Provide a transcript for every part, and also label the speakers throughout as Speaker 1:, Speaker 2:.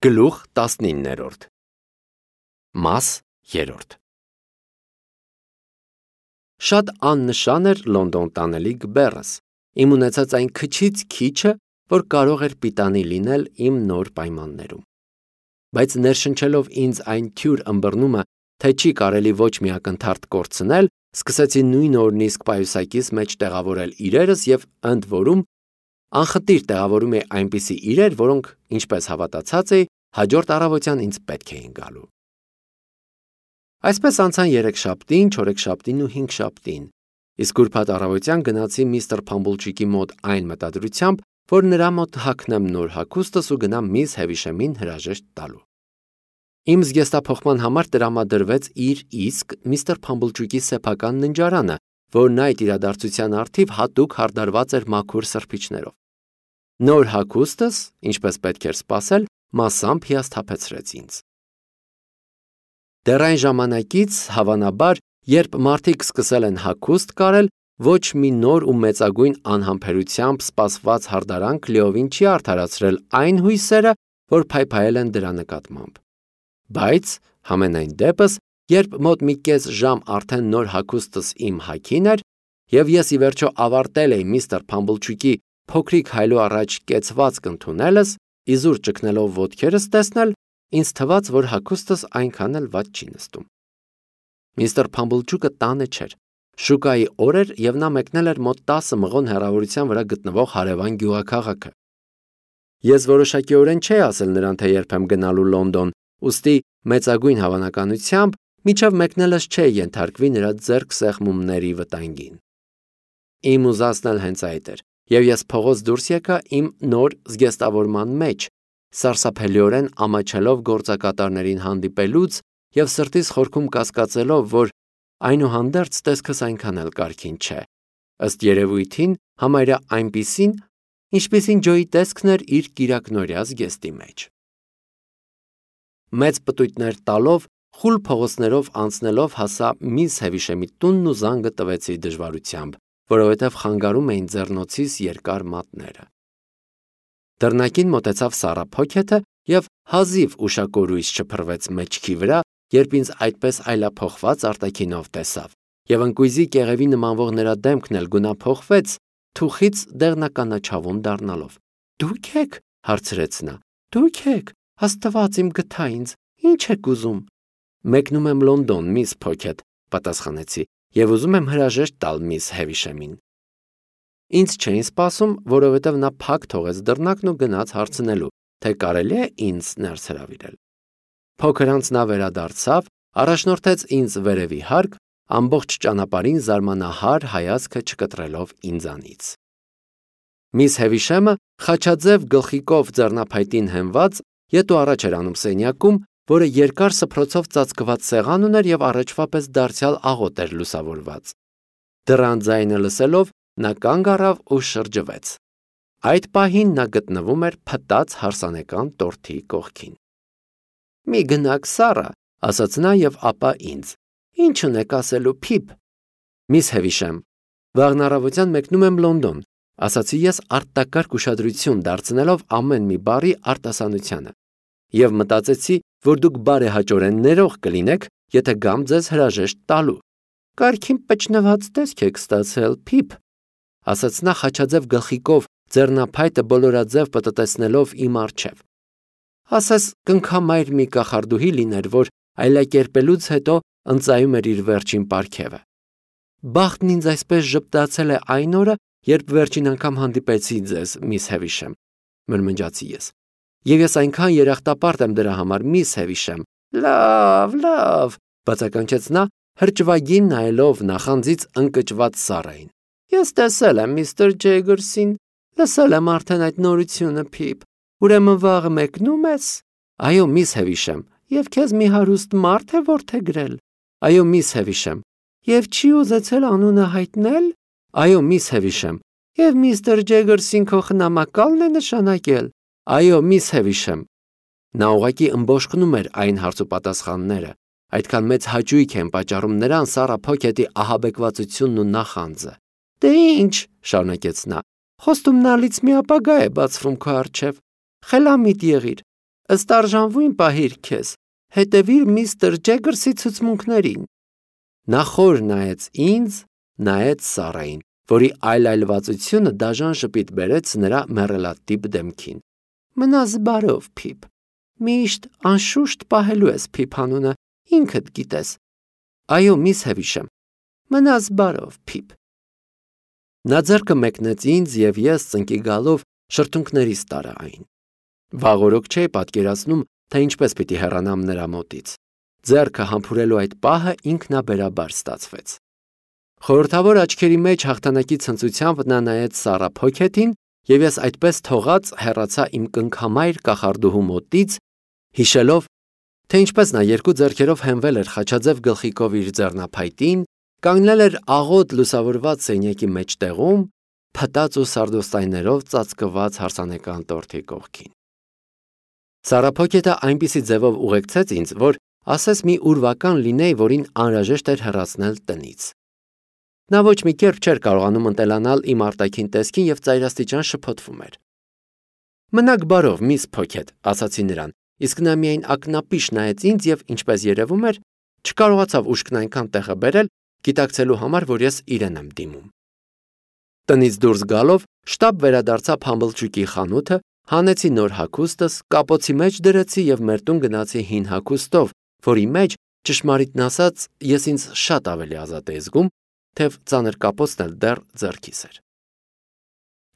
Speaker 1: Գլուխ 19-րդ Մաս 3 Շատ աննշան էր Լոնդոն տանելիք բեռս, իմ ունեցած այն քչից քիչը, որ կարող էր պիտանի լինել իմ նոր պայմաններում։ Բայց ներշնչելով ինձ այն թյուր ըմբռնումը, թե չի կարելի ոչ մի ակնթարթ կորցնել, սկսեցի նույն օրն իսկ պայուսակիս մեջ տեղավորել իրերս և ընդ որում անխտիր տեղավորում էի այնպիսի իրեր, որոնք, ինչպես հավատացած էի, հաջորդ առավոտյան ինձ պետք էին գալու։ Այսպես անցան երեքշաբթին, չորեքշաբթին ու հինգշաբթին, իսկ ուրբաթ առավոտյան գնացի միստր Փամբլջիկի մոտ այն մտադրությամբ, որ նրա մոտ հագնեմ նոր հագուստս ու գնամ միս Հևիշեմին հրաժեշտ տալու։ Իմ զգեստափոխման համար տրամադրվեց իր իսկ միստր Փամբլջիկի սեփական ննջարանը, որն այդ իրադարձության առթիվ հատուկ հարդարված էր մաքուր սրբիչներով։ Նոր հագուստս, ինչպես պետք էր սպասել, մասամբ հիասթափեցրեց ինձ։ Դեռ այն ժամանակից, հավանաբար, երբ մարդիկ սկսել են հագուստ կարել, ոչ մի նոր ու մեծագույն անհամբերությամբ սպասված հարդարանք լիովին չի արդարացրել այն հույսերը, որ փայփայել են դրա նկատմամբ։ Բայց, համենայն դեպս, երբ մոտ մի կես ժամ արդեն նոր հագուստս իմ հագին էր, և ես ի վերջո ավարտել էի միստր Փամբլջիկի փոքրիկ հայլու առաջ կեցվածք ընդունելս, իզուր ճգնելով ոտքերս տեսնել, ինձ թվաց, որ հագուստս այնքան էլ վատ չի նստում։ Միստր Փամբլջուկը տանը չէր։ Շուկայի օր էր, և նա մեկնել էր մոտ 10 մղոն հեռավորության վրա գտնվող հարևան գյուղաքաղաքը։ Ես որոշակիորեն չէի ասել նրան, թե երբեմ գնալու Լոնդոն, ուստի մեծագույն հավանականությամբ մինչև մեկնելս չէի ենթարկվի նրա ձեռք սեղմումների վտանգին։ Իմ ուզածն էլ հենց այդ էր, և ես փողոց դուրս եկա իմ նոր զգեստավորման մեջ, սարսափելիորեն ամաչելով գործակատարներին հանդիպելուց և սրտիս խորքում կասկածելով, որ այնուհանդերձ տեսքս այնքան էլ կարգին չէ, ըստ երևույթին համարյա այնպիսին, ինչպիսին Ջոյի տեսքն էր իր կիրակնօրյա զգեստի մեջ։ Մեծ պտույտներ տալով, խուլ փողոցներով անցնելով հասա միս Հևիշեմի տունն ու զանգը տվեցի դժվարությամբ, որովհետև խանգարում էին ձեռնոցիս երկար մատները։ Դռնակին մոտեցավ Սառա Փոքեթը և հազիվ ուշակորույս չփռվեց մեջքի վրա, երբ ինձ այդպես այլափոխված արտաքինով տեսավ, և ընկույզի կեղևի նմանվող նրա դեմքն էլ գունափոխվեց, թուխից դեղնականաչավուն դառնալով։ «Դուք եք», հարցրեց նա, «դուք եք, Աստված իմ գթա ինձ, ինչ եք ուզում»։ «Մեկնում եմ Լոնդոն, միս Փոքեթ», պատասխանեցի, «և ուզում եմ հրաժեշտ տալ միս Հևիշեմին»։ Ինձ չէին սպասում, որովհետև նա փակ թողեց դռնակն ու գնաց հարցնելու, թե կարելի է ինձ ներս հրավիրել։ Փոքր անց նա վերադարձավ, առաջնորդեց ինձ վերևի հարկ, ամբողջ ճանապարհին զարմանահար հայացքը չկտրելով ինձանից։ Միս Հևիշեմը խաչաձև գլխիկով ձեռնափայտին հենված, ետ ու առաջ էր անում սենյակում, որը երկար սփռոցով ծածկված սեղան ուներ և առաջվա պես դարձյալ աղոտ էր լուսավորված։ Դռան ձայնը լսելով, նա կանգ առավ ու շրջվեց։ Այդ պահին նա գտնվում էր փտած հարսանեկան տորթի կողքին։ «Մի գնաք, Սառա», ասաց նա և ապա ինձ, «Ինչ ունեք ասելու, Փիփ»։ «Միս Հևիշեմ, վաղն առավոտյան մեկնում եմ Լոնդոն», ասացի ես արտակարգ ուշադրություն դարձնելով ամեն մի բառի արտասանությանը, և մտածեցի, որ դուք բարեհաճորեն ներող կլինեք, եթե գամ ձեզ հրաժեշտ տալու։ «Կարգին պճնված տեսք եք ստացել, Փիփ», ասաց նա խաչաձև գլխիկով ձեռնափայտը բոլորաձև պտտեցնելով իմ առջև։ Ասես կնքամայր մի կախարդուհի լիներ, որ այլակերպելուց հետո ընծայում էր իր վերջին պարգևը։ «Բախտն ինձ այսպես ժպտացել է այն օրը, երբ վերջին անգամ հանդիպեցի ձեզ, միս Հևիշեմ», մրմնջացի ես։ «Եվ ես այնքան երախտապարտ եմ դրա համար, միս Հևիշեմ»։ «Լավ, լավ», բացականչեց նա, հրճվագին նայելով նախանձից ընկճված Սառային։ «Ես տեսել եմ միստր Ջեգերսին, լսել եմ արդեն այդ նորությունը, Փիփ, ուրեմն վաղը մեկնո՞ւմ ես»։ «Այո, միս Հևիշեմ, և քեզ մի հարուստ մարդ է որդեգրել»։ «Այո, միս Հևիշեմ»։ «Եվ չի ուզեցել անունը հայտնել»։ «Այո, միս Հևիշեմ»։ «Եվ միստր Ջեգերսին քո խնամակալն է նշանակել»։ «Այո, միս Հևիշեմ»։ Նա ուղղակի ըմբոշխնում էր այն հարցուպատասխանները, այդքան մեծ հաճույք են պատճառում նրան Սառա Փոքեթի ահաբեկվածությունն ու նախանձը։ «Դե ինչ», շարունակեց նա, «խոստումնալից մի ապագա է բացվում քո առջև։ Խելամիտ եղիր, Ըստ արժանվույն պահիր քեզ, հետևիր միստր Ջեգերսի ցուցմունքներին։ Նա խոր նայեց ինձ, նայեց Սարային, որի այլայլվածությունը դաժան ժպիտ բերեց նրա մեռելատիպ դեմքին։ Մնաս բարով, Փիփ։ Միշտ անշուշտ պահելու ես Փիփ անունը, ինքդ գիտես։ Այո, միս Հևիշեմ։ Մնաս բարով, Փիփ։ Նա ձեռքը մեկնեց ինձ և ես ծնկի գալով շրթունքներիս տարա այն։ Վաղօրոք չէի պատկերացնում, թե ինչպես պիտի հեռանամ նրա մոտից։ Ձեռքը համբուրելու այդ պահը ինքնաբերաբար ստացվեց։ Խորհրդավոր աչքերի մեջ հաղթանակի ցնծությամբ նա նայեց Սառա Փոքեթին, և ես այդպես թողած հեռացա իմ կնքամայր կախարդուհու մոտից, հիշելով, թե ինչպես նա երկու ձեռքերով հենվել էր խաչաձև գլխիկով իր ձեռնափայտին, կանգնել էր աղոտ լուսավորված սենյակի մեջտեղում, փտած ու սարդոստայներով ծածկված հարսանեկան տորթի կողքին։ Սառա Փոքեթը այնպիսի ձևով ուղեկցեց ինձ, որ ասես մի ուրվական լինեի, որին անհրաժեշտ էր հեռացնել տնից։ Նա ոչ մի կերպ չէր կարողանում ընտելանալ իմ արտաքին տեսքին և ծայրաստիճան շփոթվում էր։ Մնաք բարով, միս Փոքեթ, ասացի նրան, իսկ նա միայն ակնապիշ նայեց ինձ և, ինչպես երևում էր, չկարողացավ ուշքն այնքան տեղը բերել, գիտակցելու համար, որ ես իրեն եմ դիմում։ Տնից դուրս գալով, շտապ վերադարձա փամբլջուկի խանութը, հանեցի նոր հագուստս, կապոցի մեջ դրեցի և մեր տուն գնացի հին հագուստով, որի մեջ, ճշմարիտն ասած, ես ինձ շատ ավելի ազատ էի զգում, թեև ծանր կապոցն էլ դեռ ձեռքիս էր։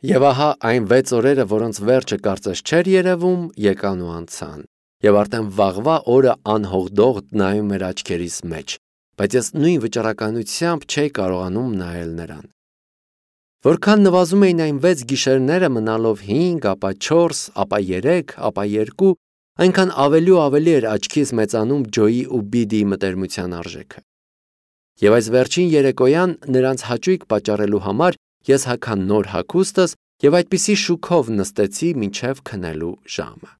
Speaker 1: Եվ ահա այն 6 օրերը, որոնց վերջը կարծես չէր երևում, եկան ու անցան, և արդեն վաղվա օրը անհողդողդ նայում էր աչքերիս մեջ, բայց ես նույն վճռականությամբ չէի կարողանում նայել նրան։ Որքան նվազում էին այն 6 գիշերները մնալով 5, ապա 4, ապա 3, ապա 2, այնքան ավելի ու ավելի էր աչքիս մեծանում Ջոյի ու Բիդիի մտերմության արժեքը։ Եվ այս վերջին երեկոյան նրանց հաճույք պատճառելու համար ես հագա նոր հագուստս և այդպիսի շուքով նստեցի մինչև քնելու ժամը։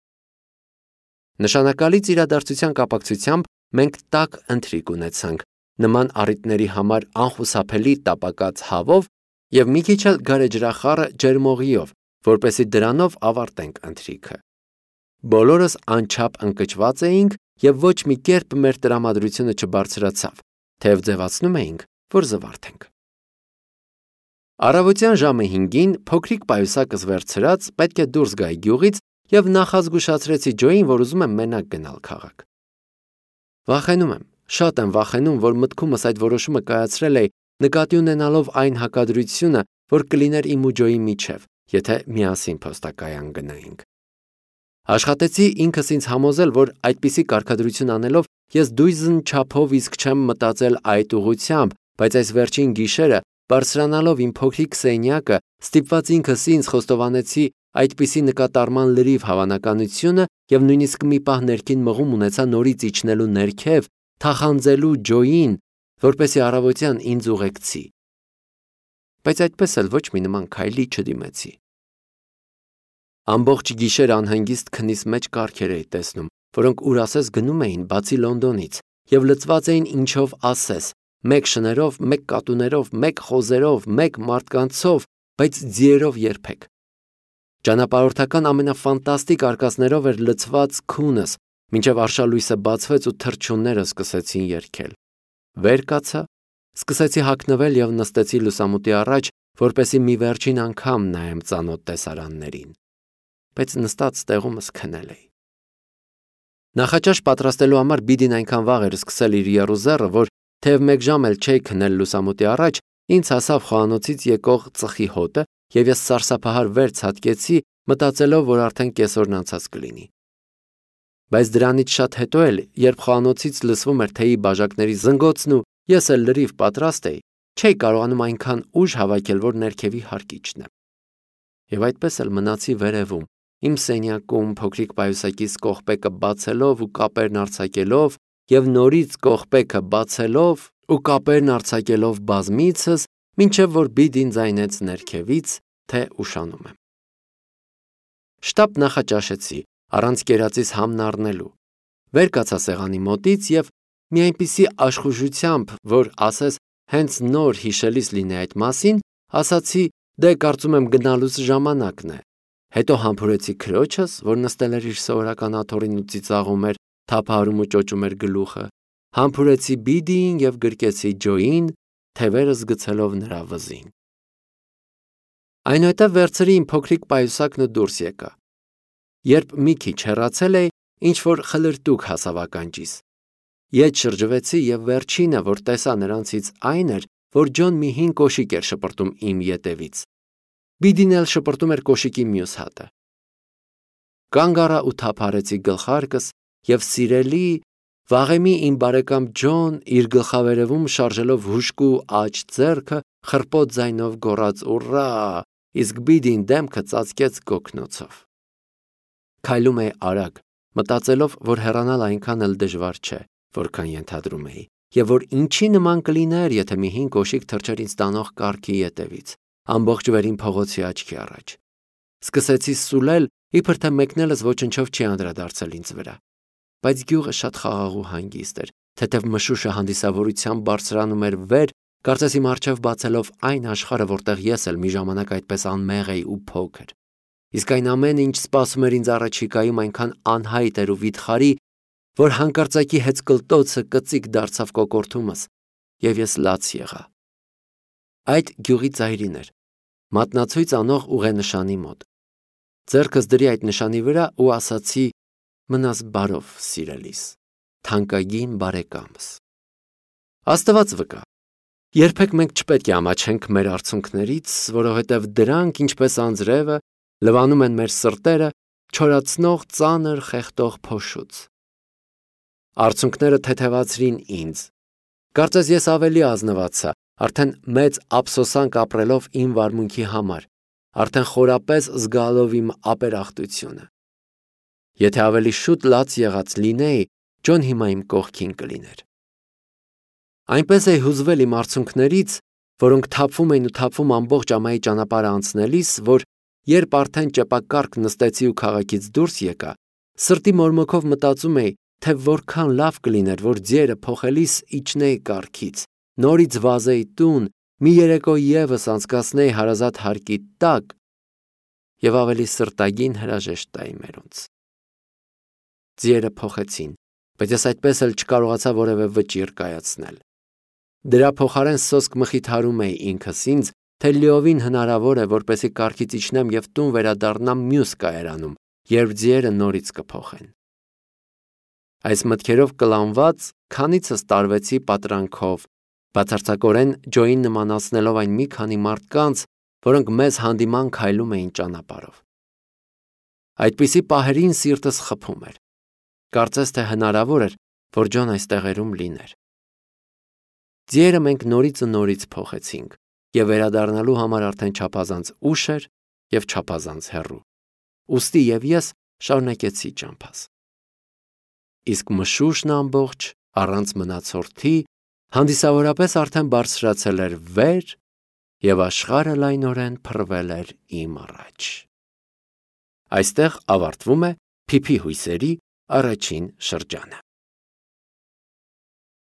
Speaker 1: Նշանակալից իրադարձության կապակցությամբ մենք տաք ընթրիք ունեցանք, նման առիթների համար անխուսափելի տապակած հավով և մի քիչ էլ գարեջրախառը ջերմօղիով, որպեսզի դրանով ավարտենք ընթրիքը։ Բոլորս անչափ ընկճված էինք և ոչ մի կերպ մեր տրամադրությունը չբարձրացավ, թեև ձևացնում էինք, որ զվարթենք։ Առավոտյան ժամը 5-ին փոքրիկ պայուսակս վերցրած պետք է դուրս գայի գյուղից և նախազգուշացրեցի Ջոյին, որ ուզում եմ մենակ գնալ քաղաք։ Վախենում եմ, շատ եմ վախենում, որ մտքումս այդ որոշումը կայացրել էի նկատի ունենալով այն հակադրությունը, որ կլիներ իմ ու Ջոյի միջև, եթե միասին փոստակայան գնայինք։ Աշխատեցի ինքս ինձ համոզել, որ այդպիսի կարգադրություն անելով ես դույզն չափով իսկ չեմ մտածել այդ ուղղությամբ, բայց այս վերջին գիշերը, բարձրանալով իմ փոքրիկ սենյակը, ստիպված ինքս ինձ խոստովանեցի այդպիսի նկատառման լրիվ հավանականությունը և նույնիսկ մի պահ ներքին մղում ունեցա նորից իջնելու ներքև, թախանձելու Ջոյին, որպեսզի առավոտյան ինձ ուղեկցի։ Բայց այդպես էլ ոչ մի նման քայլի չդիմեցի։ Ամբողջ գիշեր անհանգիստ քնիս մեջ կարգեր էի տեսնում, որոնք ուր ասես գնում էին բացի Լոնդոնից և լցված էին ինչով ասես, մեկ շներով, մեկ կատուներով, մեկ խոզերով, մեկ մարդկանցով, բայց ձիերով երբեք։ Ճանապարհորդական ամենաֆանտաստիկ արկածներով էր լցված քունս, մինչև արշալույսը բացվեց ու թռչունները սկսեցին երգել։ Վեր կացա, սկսեցի հագնվել և նստեցի լուսամուտի առաջ, որպեսզի մի վերջին անգամ նայեմ ծանոթ տեսարաններին, բայց նստած տեղումս քնել էի։ Նախաճաշ պատրաստելու համար Բիդին այնքան վաղ էր սկսել իր եռուզեռը, որ թեև մեկ ժամ էլ չէի քնել լուսամուտի առաջ, ինձ հասավ խոհանոցից եկող ծխի հոտը, և ես սարսափահար վեր ցատկեցի, մտածելով, որ արդեն կեսօրն անցած կլինի։ Բայց դրանից շատ հետո էլ, երբ խոհանոցից լսվում էր թեյի բաժակների զնգոցն ու ես էլ լրիվ պատրաստ էի, չէի կարողանում այնքան ուժ հավաքել, որ ներքևի հարկ իջնեմ։ Եվ այդպես էլ մնացի վերևում, իմ սենյակում փոքրիկ պայուսակիս կողպեկը բացելով ու կապերն արձակելով և նորից կողպեկը բացելով ու կապերն արձակելով բազմիցս, մինչև որ Բիդին ձայնեց ներքևից, թե ուշանում եմ։ Շտապ նախաճաշեցի, առանց կերածիս համն առնելու։ Վեր կացա սեղանի մոտից և մի այնպիսի աշխուժությամբ, որ ասես հենց նոր հիշելիս լինի այդ մասին, ասացի, դե կարծում եմ գնալուս ժամանակն է, Հետո համբուրեցի քրոջս, որ նստել էր իր սովորական աթոռին ու ծիծաղում էր, թափահարում ու ճոճում էր գլուխը, համբուրեցի Բիդիին և գրկեցի Ջոյին, թևերս գցելով նրա վզին։ Այնուհետև վերցրի իմ փոքրիկ պայուսակն ու դուրս եկա։ Երբ մի քիչ հեռացել էի, ինչ-որ խլրտուք հասավ ականջիս։ Ետ շրջվեցի և վերջինը, որ տեսա նրանցից այն էր, որ Ջոն մի հին կոշիկ էր շպրտում իմ ետևից։ Բիդին էլ շպրտում էր կոշիկի մյուս հատը։ Կանգ առա ու թափահարեցի գլխարկս և սիրելի, վաղեմի իմ բարեկամ Ջոն իր գլխավերևում շարժելով հուժկու աջ ձեռքը խռպոտ ձայնով գոռաց «Ուռա», իսկ Բիդին դեմքը ծածկեց գոգնոցով։ Քայլում էի արագ, մտածելով, որ հեռանալ այնքան էլ դժվար չէ, որքան ենթադրում էի, և որ ինչի նման կլիներ, եթե մի հին կոշիկ թռչեր ինձ տանող կառքի ետևից, ամբողջ վերին փողոցի աչքի առաջ։ Սկսեցի սուլել, իբր թե մեկն էլս ոչնչով չի անդրադարձել ինձ վրա։ Բայց գյուղը շատ խաղաղ ու հանգիստ էր, թեթև մշուշը հանդիսավորությամբ բարձրանում էր վեր, կարծես իմ առջև բացելով այն աշխարհը, որտեղ ես էլ մի ժամանակ այդպես անմեղ էի ու փոքր։ Իսկ այն ամենը, ինչ սպասում էր ինձ առաջիկայում, այնքան անհայտ էր ու վիթխարի, որ հանկարծակի հեծկլտոցը կծիկ դարձավ կոկորդումս, և ես լաց եղա։ Այդ գյուղի ծայրին էր, մատնացույց անող ուղենշանի մոտ։ Ձեռքս դրի այդ նշանի վրա ու ասացի. «Մնաս բարով, սիրելիս, թանկագին բարեկամս»։ Աստված վկա, երբեք մենք չպետք է ամաչենք մեր արցունքներից, որովհետև դրանք, ինչպես անձրևը, լվանում են մեր սրտերը, չորացնող ծանր խեղդող փոշուց։ Արցունքները թեթևացրին ինձ։ Կարծես ես ավելի ազնվացա, արդեն մեծ ափսոսանք ապրելով իմ վարմունքի համար, արդեն խորապես զգալով իմ ապերախտությունը։ Եթե ավելի շուտ լաց եղած լինեի, Ջոն հիմա իմ կողքին կլիներ։ Այնպես էի հուզվել իմ արցունքներից, որոնք թափվում էին ու թափվում ամբողջ ամայի ճանապարհը անցնելիս, որ երբ արդեն ճեպակառք նստեցի ու քաղաքից դուրս եկա, սրտի մորմոքով մտածում էի, թե որքան լավ կլիներ, որ ձիերը փոխելիս իջնեի կառքից, նորից վազեի տուն, մի երեկո ևս անցկացնեի հարազատ հարկի տակ և ավելի սրտագին հրաժեշտ տայի մերոնց։ Ձիերը փոխեցին, բայց ես այդպես էլ չկարողացա որևէ վճիռ կայացնել։ Դրա փոխարեն սոսկ մխիթարում էի ինքս ինձ, թե լիովին հնարավոր է, որպեսզի կառքից իջնեմ և տուն վերադառնամ մյուս կայարանում, երբ ձիերը նորից կփոխեն։ Այս մտքերով կլանված քանիցս տարվեցի պատրանքով, բացարձակորեն Ջոյին նմանացնելով այն մի քանի մարդկանց, որոնք մեզ հանդիման քայլում էին ճանապարհով։ Այդպիսի պահերին սիրտս խփում էր։ Կարծես թե հնարավոր էր, որ Ջոն այս տեղերում լիներ։ Ձիերը մենք նորից ու նորից փոխեցինք, և վերադառնալու համար արդեն չափազանց ուշ էր և չափազանց հեռու։ Ուստի և ես շարունակեցի ճամփաս։ Իսկ մշուշն ամբողջ, առանց մնացորդի, հանդիսավորապես արդեն բարձրացել էր վեր, և աշխարհը լայնորեն փռվել էր իմ առաջ։ Այստեղ ավարտվում է Փիփի հույսերի առաջին շրջանը։